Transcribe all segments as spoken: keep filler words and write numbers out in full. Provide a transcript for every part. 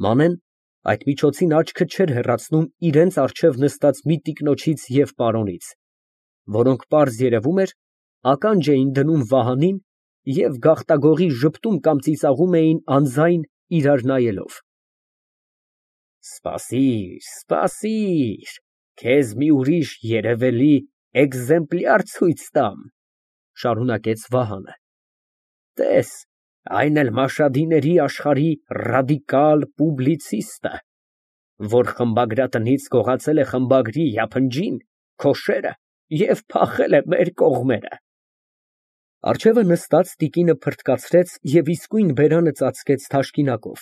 Մանեն այդ միջոցին աչքը չէր հեռացնում իրենց առջև նստած մի տիկնոջից և պարոնից, որոնք, պարզ երևում էր, ականջ էին դնում Վահանին և գաղտագողի ժպտում կամ ծիծաղում էին անձայն, իրար նայելով։ Սպասիր, սպասիր, քեզ մի ուրիշ երևելի էկզեմպլյար ցույց տամ, շարունակեց Վահանը, տես, այն էլ Մաշհադիների աշխարհի ռադիկալ պուբլիցիստը, որ խմբագրատնից գողացել է խմբագրի յափնջին, քոշերը և փախել է մեր կողմերը։ Առջևը նստած տիկինը փռթկացրեց և իսկույն բերանը ծածկեց թաշկինակով,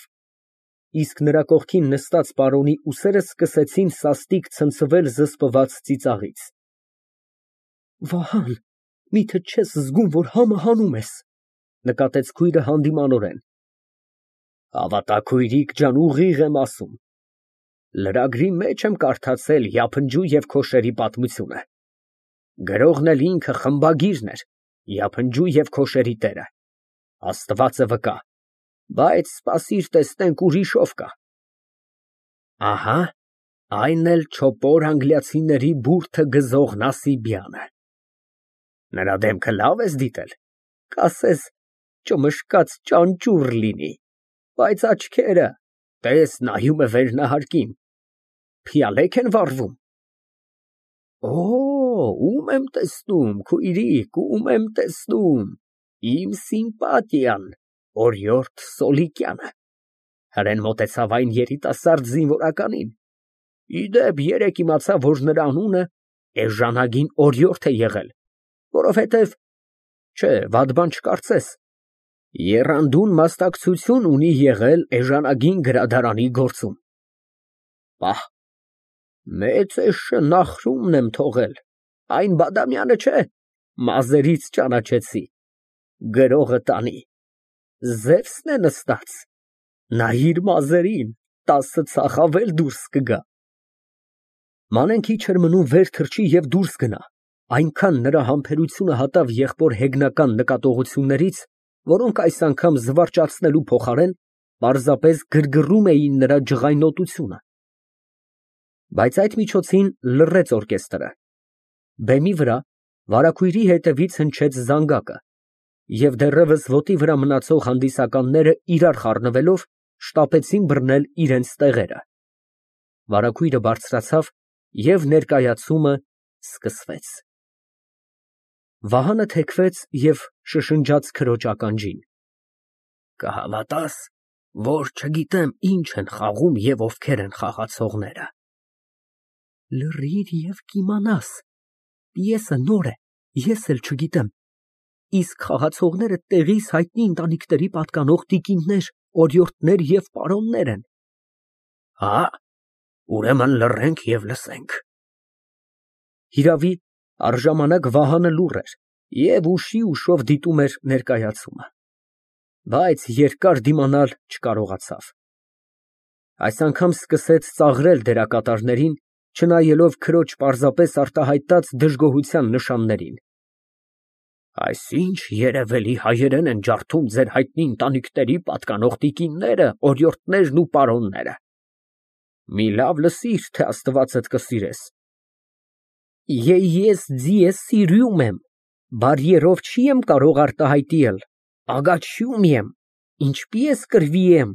իսկ նրա կողքին նստած պարոնի ուսերը սկսեցին սաստիկ ցնցվել զսպված ծիծաղից։ Վահան, միթե չես զգում, որ համը հանում ես, նկատեց քույրը հանդիմանորեն։ Հավատա, քույրիկ ջան, ուղիղ եմ ասում, լրագրի մեջ եմ կարդացել յափնջու և քոշերի պատմությունը, գրողն էլ ինքը խմբագիրն էր, յափնջու և քոշերի տերը, Աստվածը վկա, բայց սպասիր տեսնենք ուրիշ ով կա։ Ահա, այն էլ չոպոր անգլիացիների բուրդը գզող Նասիբյանը։ Նրա դեմքը լավ ես դիտել, կասես ճմշկած ճանճուռ լինի, բայց աչքերը, տես, նայում է վերնահարկին, փիալեք են վառվում։ Օ, ում եմ տեսնում, քույրիկ, ում եմ տեսնում, իմ սիմպատիան, օրիորդ Սոլիկյանը, հրեն մոտեցավ այն երիտասարդ զինվորականին, իդեպ, երեկ իմացա, որ նրա անունը էժանագին օրիորդ է եղել, որովհետև, չէ, վատ բան չկարծես, եռանդուն մասնակցություն ունի եղել էժանագին գրադարանի գործում։ Պահ, մեծ էշը Նախրումն եմ թողել, այն Բադամյանը չէ, մազերից ճանաչեցի, գրողը տանի, Զևսն է նստած, նայիր մազերին, տասը ծախավ էլ դուրս կգա։ Մանեն քիչ էր մնում վեր թռչի և դուրս գնա, այնքան նրա համբերությունը հատավ եղբոր հեգնական նկատողություններից, որոնք այս անգամ զվարճացնելու փոխարեն պարզապես գրգռում էին նրա ջղայնոտությունը։ Բայց այդ միջոցին լռեց օրկեստրը, բեմի վրա վարագույրի հետևից հնչեց զանգակը, և դեռևս ոտի վրա մնացող հանդիսականները իրար խառնվելով շտապեցին բռնել իրենց տեղերը։ Վարագույրը բարձրացավ և ներկայացումը սկսվեց։ Վահանը թեքվեց և շշնջաց քրոջ ականջին. Կհավատաս, որ չգիտեմ ինչ են խաղում և ովքեր են խաղացողները։ Լռիր և կիմանաս, պիեսը նոր է, ես էլ չգիտեմ, իսկ խաղացողները տեղիս հայտնի ընտանիքների պատկանող տիկիններ, օրիորդներ և պարոններ են։ Հա, ուրեմն լռենք և լսենք։ Հիրավի, առժամանակ Վահանը լուռ էր և ուշի ուշով դիտում էր ներկայացումը, բայց երկար դիմանալ չկարողացավ։ Այս անգամ սկսեց ծաղրել դերակատարներին, չնայելով քրոջ պարզապես արտահայտած դժգոհության նշաններին։ Այսինչ երևելի հայերեն են ջարդում ձեր հայտնի ընտանիքների պատկանող տիկինները, օրիորդներն ու պարոնները։ Մի լավ լսիր, թե Աստվածդ կսիրես։ Ես ձեզ սիրում եմ, բարիերով չի եմ կարող արտահայտել, ագաչում եմ, ինչպես կռվեմ,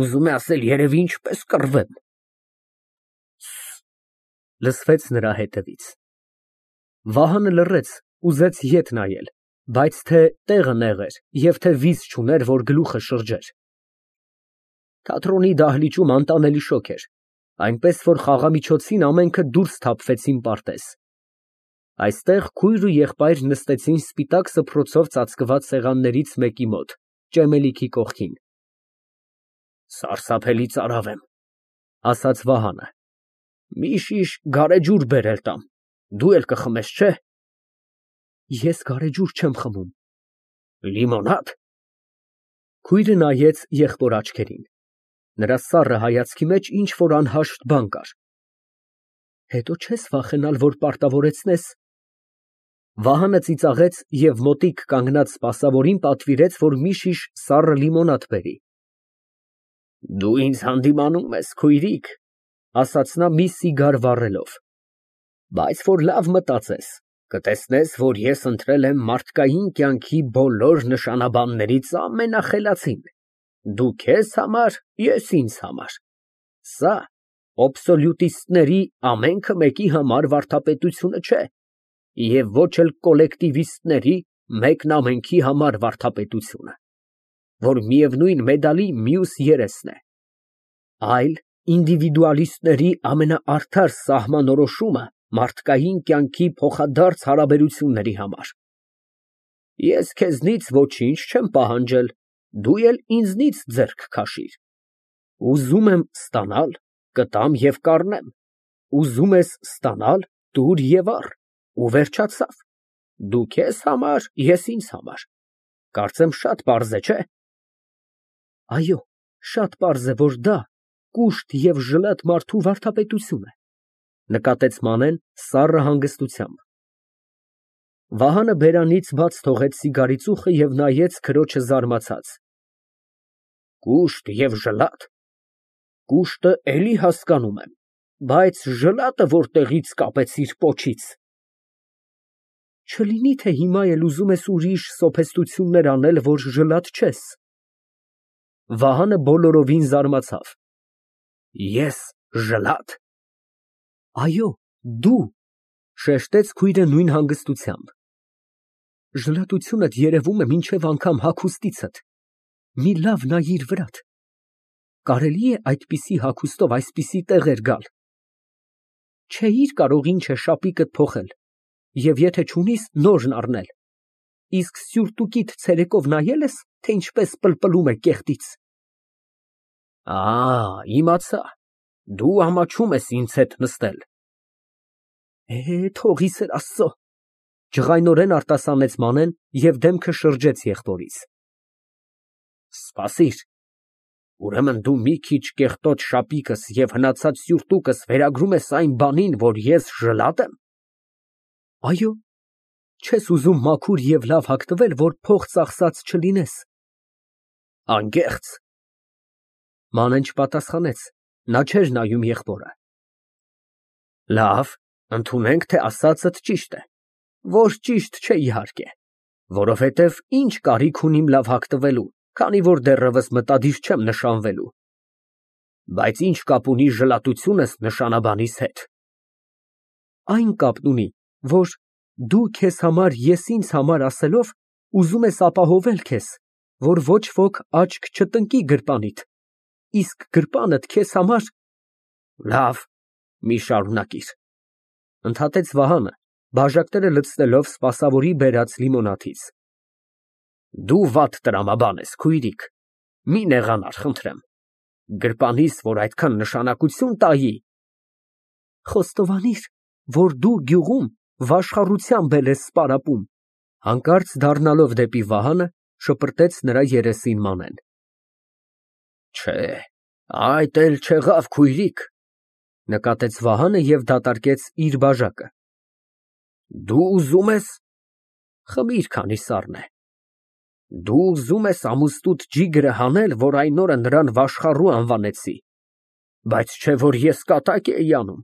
ուզում է ասել երևի ինչպես կռվեմ։ Լսվեց նրա հետևից։ Վահանը լռեց, ուզեց ետ նայել, բայց թե տեղը նեղ էր և թե վիզ չուներ, որ գլուխը շրջեր։ Թատրոնի դահլիճում անտանելի շոգ էր, այնպես որ խաղամիջոցին ամենքը դուրս սթափվեցին պարտեզ։ Այստեղ քույր ու եղբայր նստեցին սպիտակ սփռոցով ծածկված սեղաններից մեկի մոտ, ճեմելիքի կողքին։ Սարսափելի ծարավ եմ, ասաց Վահանը, մի շիշ գարեջուր բերել տամ, դու էլ կխմես, չէ։ Ես գարեջուր չեմ խմում։ Լիմոնա՞դ։ Քույրը նայեց եղբոր աչքերին, նրա սառը հայացքի մեջ ինչ֊որ անհաշտ բան կար։ Հետո չես վախենալ, որ պարտավորեցնես։ Վահանը ծիծաղեց և մոտիկ կանգնած սպասավորին պատվիրեց, որ մի շիշ սառը լիմոնադ բերի։ Դու ինձ հանդիմանում ես, քույրիկ, ասաց նա մի սիգար վառելով, բայց որ լավ մտածես, կտեսնես, որ ես ընտրել եմ մարդկային կյանքի բոլոր նշանաբաններից ամենախելացին, դու քեզ համար, ես ինձ համար, սա աբսոլյուտիստների ամենքը մեկի համար վարդապետությունը չէ և ոչ էլ կոլեկտիվիստների մեկն ամենքի համար վարդապետությունը, որ միևնույն մեդալի մյուս երեսն է, այլ ինդիվիդուալիստների ամենաարդար սահմանորոշումը մարդկային կյանքի փոխադարձ հարաբերությունների համար։ Ես քեզնից ոչինչ չեմ պահանջել, դու էլ ինձնից ձեռք քաշիր, ուզում եմ ստանալ, կտամ և կառնեմ, ուզում ես ստանալ, տուր և առ, ու վերջացավ, դու քեզ համար, ես ինձ համար, կարծեմ շատ պարզ է, չէ՞։ Այո, շատ պարզ է, որ դա կուշտ և ժլատ մարդու վարդապետություն է, նկատեց Մանեն սառը հանգստությամբ։ Վահանը բերանից բաց թողեց սիգարի ծուխը և նայեց քրոջը զարմացած։ Կուշտ և ժլա՞տ, կուշտը էլի հասկանում եմ, բայց ժլատը որտեղի՞ց կապեցիր պոչից։ Չլինի՞ թե հիմա էլ ուզում ես ուրիշ սոփեստություններ անել, որ ժլատ չես։ Վահանը բոլորովին զարմացավ։ Ես ժլա՞տ։ Այո, դու, շեշտեց քույրը նույն հանգստությամբ։ Ժլատությունդ երևում է մինչև անգամ հագուստիցդ, մի լավ նայիր վրատ, կարելի է այդպիսի հագուստով այսպիսի տեղեր գալ։ Չէիր կարող ինչ է շապիկդ փոխել և եթե չունիս, նորն առնել, իսկ սյուրտուկիդ ցերեկով նայե՞լ ես, թե ինչպես պլպլում է կեղտից։ Ա, իմացա, դու ամաչում ես ինձ հետ նստել։ Է, թող ի սեր Աստծո, ջղայնորեն արտասանեց Մանեն և դեմքը շրջեց եղբորից։ Սպասիր, ուրեմն դու մի քիչ կեղտոտ շապիկս և հնացած սյուրտուկս վերագրում ես այն բանին, որ ես ժլատ եմ։ Այո, չես ուզում մաքուր և լավ հագնվել, որ փող ծախսած չլինես։ Անկեղծ։ Մանեն չպատասխանեց, նա չէր նայում եղբորը։ Լավ, ընդունենք, թե ասածդ ճիշտ է, որ ճիշտ չէ իհարկե, որովհետև ինչ կարիք ունիմ լավ հագնվելու, քանի որ դեռևս մտադիր չեմ նշանվելու։ Բայց ինչ կապ ունի ժլատությունս նշանաբանիս հետ։ Այն կապն ունի, որ դու քեզ համար, ես ինձ համար ասելով, ուզում ես ապահովել քեզ, որ ոչ ոք աչք չտնկի գրպանիդ, իսկ գրպանդ քեզ համար… Լավ, մի շարունակիր, ընդհատեց Վահանը, բաժակները լցնելով սպասավորի բերած լիմոնադից։ Դու վատ տրամաբան ես, քույրիկ, մի նեղանար, խնդրեմ, գրպանիս, որ այդքան նշանակություն տայի… Խոստովանիր, որ դու գյուղում վաշխառությամբ էլ ես սպարապում, հանկարծ դառնալով դեպի Վահանը, շպրտեց նրա երեսին Մանեն։ Չէ, այդ էլ չեղավ, քույրիկ, նկատեց Վահանը և դատարկեց իր բաժակը։ Դու ուզում ես… Խմիր, քանի սառն է։ Դու ուզում ես ամուսնուդ ջիգրը հանել, որ այն օրը նրան վաշխառու անվանեցի, բայց չէ որ ես կատակ էի անում,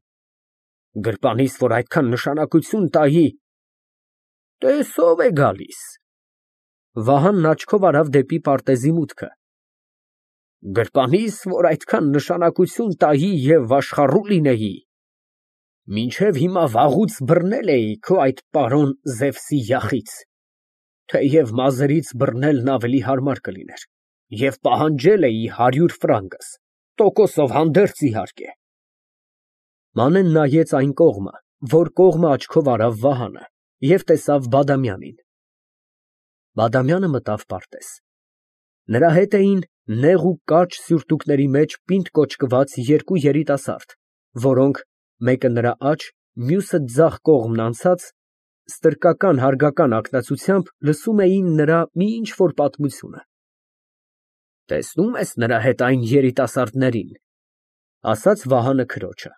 գրպանիս, որ այդքան նշանակություն տայի… Տես ով է գալիս… Վահանն աչքով արավ դեպի պարտեզի մուտքը։ Գրպանիս, որ այդքան նշանակություն տայի և վաշխառու լինեի… Մինչև հիմա վաղուց բռնել էի քո այդ պարոն Զևսի յախից, թեև մազերից բռնելն ավելի հարմար կլիներ, և պահանջել էի հարյուր ֆրանկս, տոկոսով հանդերձ, իհարկե։ Մանեն նայեց այն կողմը, որ կողմը աչքով արավ Վահանը, և տեսավ Բադամյանին։ Բադամյանը մտավ պարտեզ։ Նրա հետ էին նեղ ու կարճ սյուրտուկների մեջ պինդ կոճկված երկու երիտասարդ, որոնք, մեկը նրա աջ, մյուսը ձախ կողմն անցած, ստրկական հարգական ակնածությամբ լսում էին նրա մի ինչ֊որ պատմությունը։ Տեսնո՞ւմ ես նրա հետ այն երիտասարդներին, ասաց Վահանը քրոջը։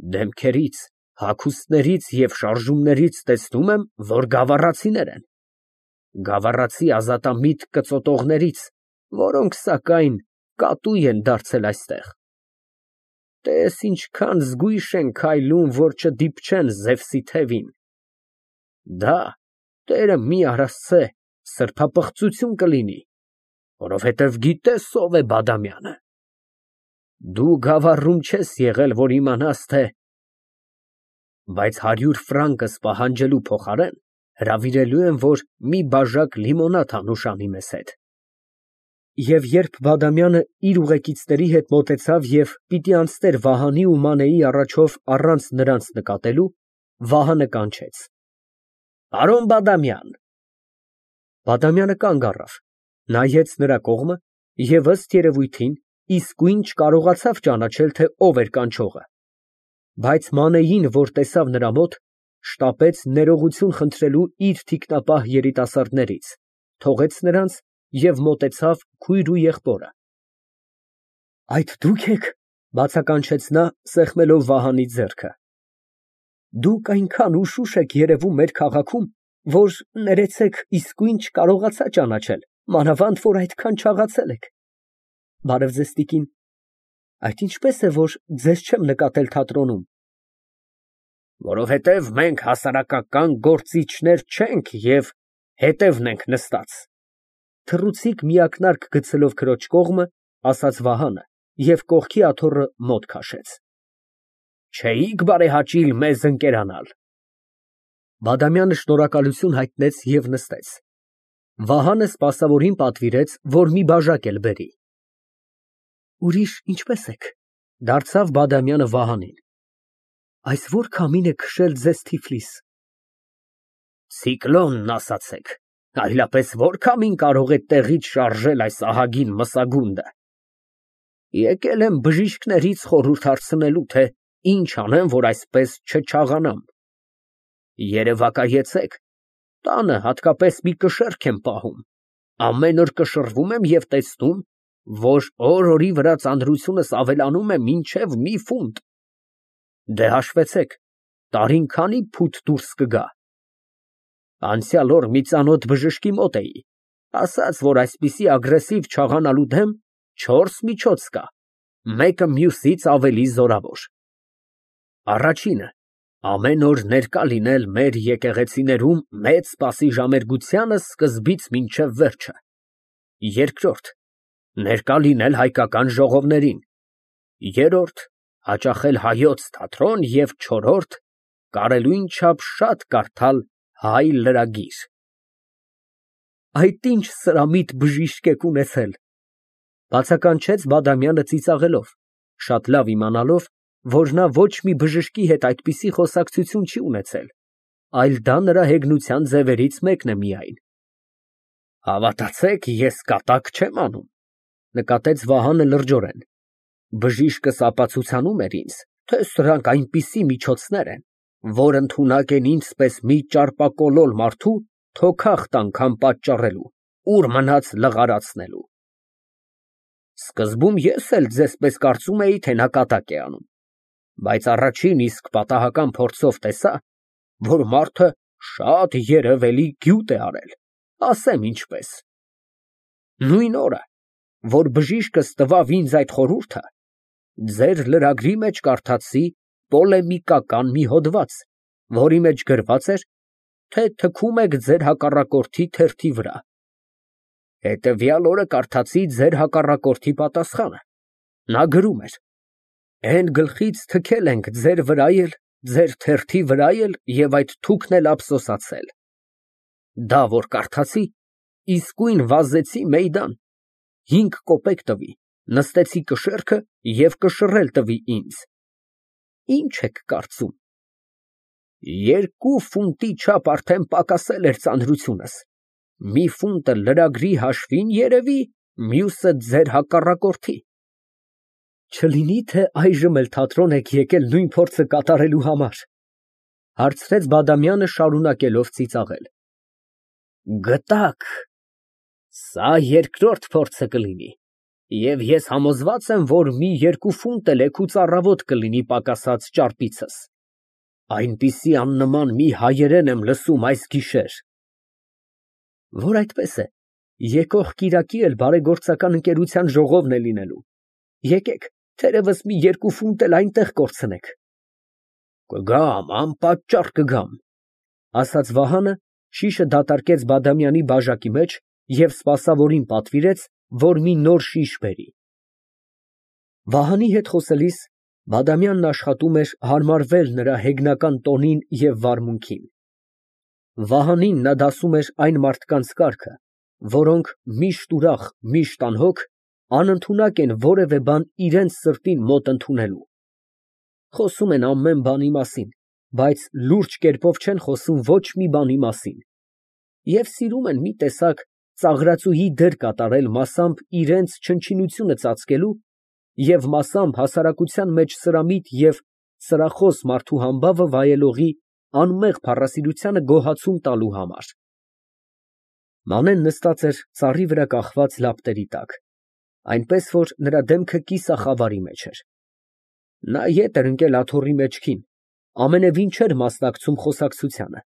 Դեմքերից, հագուստներից և շարժումներից տեսնում եմ, որ գավառացիներ են, գավառացի ազատամիտ կծոտողներից, որոնք, սակայն, կատու են դարձել այստեղ։ Տես ինչքան զգույշ են քայլում, որ չդիպչեն Զևսի թևին։ Դա, Տերը մի արասցե, սրբապղծություն կլինի, որովհետև գիտես ով է Բադամյանը։ Դու գավառում չես եղել, որ իմանաս, թե… Բայց հարյուր ֆրանկս պահանջելու փոխարեն հրավիրելու եմ, որ մի բաժակ լիմոնադ անուշանի մեզ հետ։ Եվ երբ Բադամյանը իր ուղեկիցների հետ մոտեցավ և պիտի անցներ Վահանի ու Մանեի առաջով առանց նրանց նկատելու, Վահանը կանչեց. Պարոն Բադամյան։ Բադամյանը կանգ առավ, նայեց նրա կողմը և ըստ երևույթին իսկույն չկարողացավ ճանաչել, թե ով էր կանչողը, բայց Մանեին, որ տեսավ նրա մոտ, շտապեց ներողություն խնդրելու իր թիկնապահ երիտասարդներից, թողեց նրանց և մոտեցավ քույր ու եղբորը։ Այդ դու՞ք եք, բացականչեց նա, սեղմելով Վահանի ձեռքը։ Դուք այնքան ուշուշ եք երևում մեր քաղաքում, որ, ներեցեք, իսկույն չկարողացա ճանաչել, մանավանդ որ այդքան չաղացել եք։ Բարև ձեզ, տիկին, այդ ինչպես է, որ ձեզ չեմ նկատել թատրոնում։ Որովհետև մենք հասարակական գործիչներ չենք և հետևն ենք նստած, թռուցիկ միակնարկ գցելով քրոջ կողմը, ասաց Վահանը և կողքի աթոռը մոտ քաշեց։ Չէիք բարեհաճիլ մեզ ընկերանալ։ Բադամյանը շնորհակալություն հայտնեց և նստեց։ Վահանը սպասավորին պատվիրեց, որ մի բաժակ էլ բերի։ Ուրիշ ինչպե՞ս եք, դարձավ Բադամյանը Վահանին։ Այս ո՞ր քամին է քշել ձեզ Թիֆլիս։ Ցիկլոնն ասացեք, այլապես ո՞ր քամին կարող է տեղից շարժել այս ահագին մսագունդը։ Եկել եմ բժիշկներից խորհուրդ հարցնելու, թե ինչ անեմ, որ այսպես չչաղանամ։ Երևակայեցեք, տանը հատկապես մի կշեռք եմ պահում, ամեն օր կշռվում եմ և տեսնում, որ օր֊օրի վրա ծանրությունս ավելանում է մինչև մի ֆունտ։ Դե հաշվեցեք, տարին քանի փութ դուրս կգա։ Անցյալ օր մի ծանոթ բժշկի մոտ էի, ասաց, որ այսպիսի ագրեսիվ չաղանալու դեմ չորս միջոց կա, մեկը մյուսից ավելի զորավոր։ Առաջինը, ամեն օր ներկա լինել մեր եկեղեցիներում մեծ սպասի ժամերգությանը սկզբից մինչև վերջը։ Երկրորդ, ներկա լինել հայկական ժողովներին։ Երրորդ, հաճախել Հայոց թատրոն և չորրորդ, կարելույն չափ շատ կարդալ Հայ լրագիր։ Այդ ինչ սրամիտ բժիշկ եք ունեցել, բացականչեց Բադամյանը ծիծաղելով, շատ լավ իմանալով, որ նա ոչ մի բժշկի հետ այդպիսի խոսակցություն չի ունեցել, այլ դա նրա հեգնության ձևերից մեկն է միայն։ Հավատացեք, ես կատակ չեմ անում, նկատեց Վահանը լրջորեն։ Բժիշկս ապացուցանում էր ինձ, թե սրանք այնպիսի միջոցներ են, որ ընդունակ են ինձպես մի ճարպակոլոլ մարդու թոքախտ անգամ պատճառելու, ուր մնաց լղարացնելու։ Սկզբում ես էլ ձեզպես կարծում էի, թե նա կատակ է անում, բայց առաջին իսկ պատահական փորձով տեսա, որ մարդը շատ երևելի գյուտ է արել, ասեմ ինչպես։ Նույն օրը, որ բժիշկս տվավ ինձ այդ խորհուրդը, ձեր լրագրի մեջ կարդացի պոլեմիկական մի հոդված, որի մեջ գրված էր, թե թքում եք ձեր հակառակորդի թերթի վրա։ Հետևյալ օրը կարդացի ձեր հակառակորդի պատասխանը։ Նա գրում էր. Էն գլխից թքել ենք ձեր վրա էլ, ձեր թերթի վրա էլ և այդ թուքն էլ ափսոսացել։ Դա որ կարդացի, իսկույն վազեցի մեյդան, հինգ կոպեկ տվի, նստեցի կշեռքը և կշռել տվի ինձ։ Ինչ եք կարծում։ Երկու ֆունտի չափ արդեն պակասել էր ծանրությունս, մի ֆունտը լրագրի հաշվին երևի, մյուսը ձեր հակառակորդի։ Չլինի՞ թե այժմ էլ թատրոն եք եկել նույն փորձը կատարելու համար, հարցրեց Բադամյանը, շարունակելով ծիծաղել։ Գտաք, սա երկրորդ փորձը կլինի, և ես համոզված եմ, որ մի երկու ֆունտ էլ էգուց առավոտ կլինի պակասած ճարպիցս։ Այնպիսի աննման մի հայերեն եմ լսում այս գիշեր։ Որ այդպես է, Եկող կիրակի էլ բարեգործական ընկերության ժողովն է լինելու, եկեք, թերևս մի երկու ֆունտ էլ այնտեղ կորցնենք։ Կգամ, անպատճառ կգամ, ասաց Վահանը, շիշը դատարկեց Բադամյանի բաժակի մեջ և սպասավորին պատվիրեց, որ մի նոր շիշ բերի։ Վահանի հետ խոսելիս Բադամյանն աշխատում էր հարմարվել նրա հեգնական տոնին և վարմունքին։ Վահանին նա դասում էր այն մարդկանց կարգը, որոնք միշտ ուրախ, միշտ անհոգ, անընդունակ են որևէ բան իրենց սրտին մոտ ընդունելու։ Խոսում են ամեն բանի մասին, բայց լուրջ կերպով չեն խոսում ոչ մի բանի մասին, և սիրում են մի տեսակ ծաղրածուհի դեր կատարել մասամբ իրենց չնչինությունը ծածկելու և մասամբ հասարակության մեջ սրամիտ և սրախոս մարդու համբավը վայելողի անմեղ փառասիրությանը գոհացում տալու համար։ Մանեն նստած էր ծառի վրա կախված լապտերի տակ, այնպես որ նրա դեմքը կիսախավարի մեջ էր։ Նա ետ էր ընկել աթոռի մեջքին, ամենևին չէր մասնակցում խոսակցությանը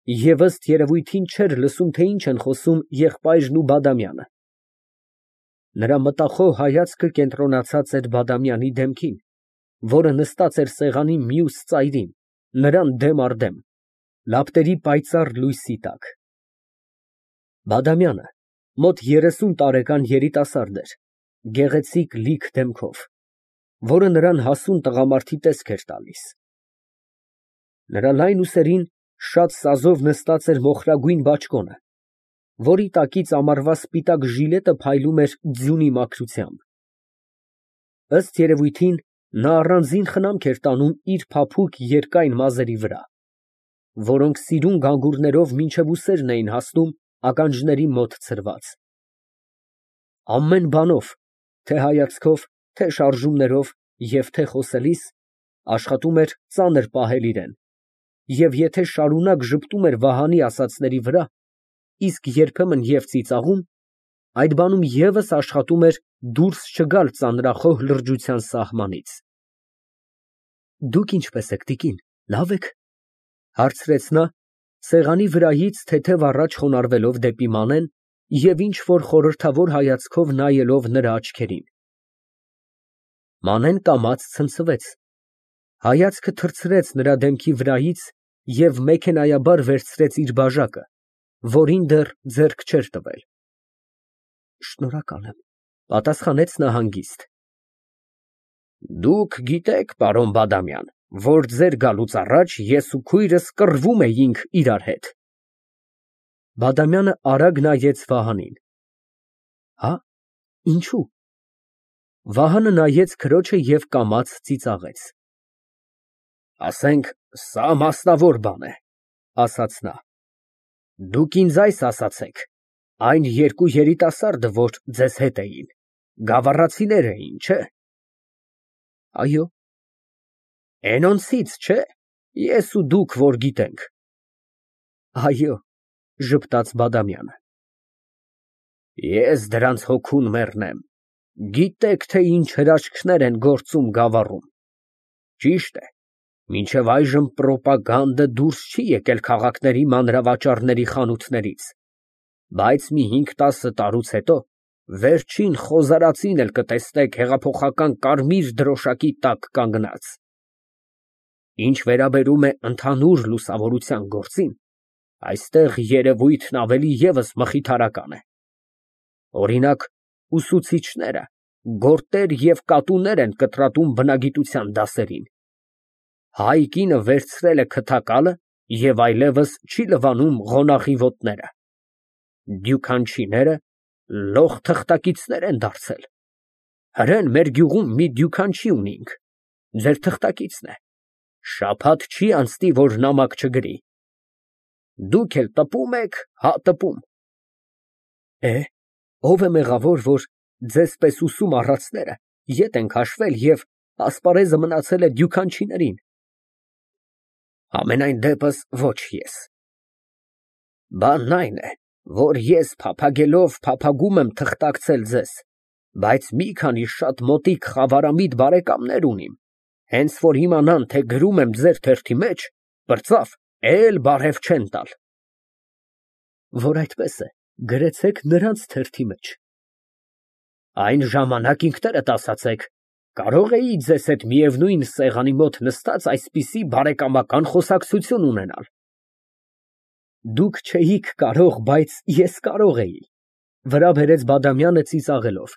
և ըստ երևույթին չէր լսում, թե ինչ են խոսում եղբայրն ու Բադամյանը։ Նրա մտախոհ հայացքը կենտրոնացած էր Բադամյանի դեմքին, որը նստած էր սեղանի մյուս ծայրին, նրան դեմ առ դեմ, լապտերի պայծառ լույսի տակ։ Բադամյանը մոտ երեսուն տարեկան երիտասարդ էր, գեղեցիկ լիք դեմքով, որը նրան հասուն տղամարդի տեսք էր տալիս։ Նրա լայն ուսերին շատ սազով նստած էր մոխրագույն բաճկոնը, որի տակից ամառվա սպիտակ ժիլետը փայլում էր ձյունի մաքրությամբ։ Ըստ երևույթին, նա առանձին խնամք էր տանում իր փափուկ երկայն մազերի վրա, որոնք սիրուն գանգուրներով մինչև ուսերն էին հասնում ականջների մոտ ցրված։ Ամեն բանով, թե հայացքով, թե շարժումներով և թե խոսելիս, աշխատում էր ծանր պահել իրեն, և եթե շարունակ ժպտում էր Վահանի ասածների վրա, իսկ երբեմն և ծիծաղում, այդ բանում ևս աշխատում էր դուրս չգալ ծանրախոհ լրջության սահմանից։ Դուք ինչպե՞ս եք, տիկին, լավ ե՞ք, հարցրեց նա, սեղանի վրայից թեթև առաջ խոնարհվելով դեպի Մանեն և ինչ֊որ խորհրդավոր հայացքով նայելով նրա աչքերին։ Մանեն կամաց ցնցվեց, հայացքը թռցրեց նրա դեմքի վրայից և մեքենայաբար վերցրեց իր բաժակը, որին դեռ ձեռք չէր տվել։ Շնորհակալ եմ, պատասխանեց նա հանգիստ։ Դուք գիտեք, պարոն Բադամյան, որ ձեր գալուց առաջ ես ու քույրս կռվում էինք իրար հետ։ Բադամյանը արագ նայեց Վահանին։ Հա՞, ինչու։ Վահանը նայեց քրոջը և կամաց ծիծաղեց։ Ասենք, սա մասնավոր բան է, ասաց նա։ Դուք ինձ այս ասացեք, այն երկու երիտասարդը, որ ձեզ հետ էին, գավառացիներ էին, չէ՞։ Այո։ Էնոնցից, չէ՞, ես ու դուք որ գիտենք։ Այո, ժպտաց Բադամյանը։ Ես դրանց հոգուն մեռնեմ, գիտեք, թե ինչ հրաշքներ են գործում գավառում։ Ճիշտ է, մինչև այժմ պրոպագանդը դուրս չի եկել քաղաքների մանրավաճառների խանութներից, բայց մի հինգ֊տասը տարուց հետո վերջին խոզարածին էլ կտեսնեք հեղափոխական կարմիր դրոշակի տակ կանգնած։ Ինչ վերաբերում է ընդհանուր լուսավորության գործին, այստեղ երևույթն ավելի ևս մխիթարական է։ Օրինակ, ուսուցիչները գորտեր և կատուներ են կտրատում բնագիտության դասերին։ Հայ կինը վերցրել է քթակալը և այլևս չի լվանում ղոնախի ոտները։ Դյուքանչիները լոխ թղթակիցներ են դարձել։ Հրեն մեր գյուղում մի դյուքանչի ունինք, ձեր թղթակիցն է, շաբաթ չի անցնի, որ նամակ չգրի։ Դուք էլ տպում եք, հա տպում։ Է, ո՞վ է մեղավոր, որ ձեզ պես ուսում առածները ետ են քաշվել և ասպարեզը մնացել է դյուքանչիներին։ Համենայն դեպս ոչ ես։ Բանն այն է, որ ես փափագելով փափագում եմ թղթակցել ձեզ, բայց մի քանի շատ մոտիկ խավարամիտ բարեկամներ ունիմ, հենց որ իմանան, թե գրում եմ ձեր թերթի մեջ, պրծավ, էլ բարև չեն տալ։ Որ այդպես է, Գրեցեք նրանց թերթի մեջ։ Այն ժամանակ ինքներդ ասացեք, կարող էի ձեզ հետ միևնույն սեղանի մոտ նստած այսպիսի բարեկամական խոսակցություն ունենալ։ Դուք չէիք կարող, բայց ես կարող էի, վրա բերեց Բադամյանը ծիծաղելով։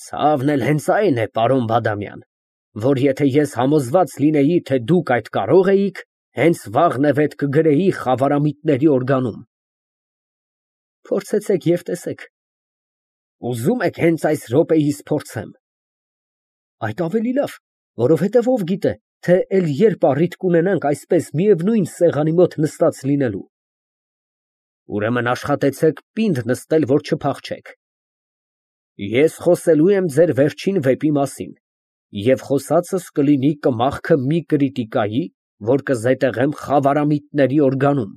Ցավն էլ հենց այն է, պարոն Բադամյան, որ եթե ես համոզված լինեի, թե դուք այդ կարող էիք, հենց վաղնևեթ կգրեի խավարամիտների օրգանում։ Փորձեցեք և տեսեք։ Ուզում եք հենց այս րոպեիս փորձեմ։ Այդ ավելի լավ, որովհետև ով գիտե, թե էլ երբ առիթ կունենանք այսպես միևնույն սեղանի մոտ նստած լինելու։ Ուրեմն աշխատեցեք պինդ նստել, որ չփախչեք։ Ես խոսելու եմ ձեր վերջին վեպի մասին, և խոսածս կլինի կմախքը մի կրիտիկայի, որ կզետեղեմ խավարամիտների օրգանում։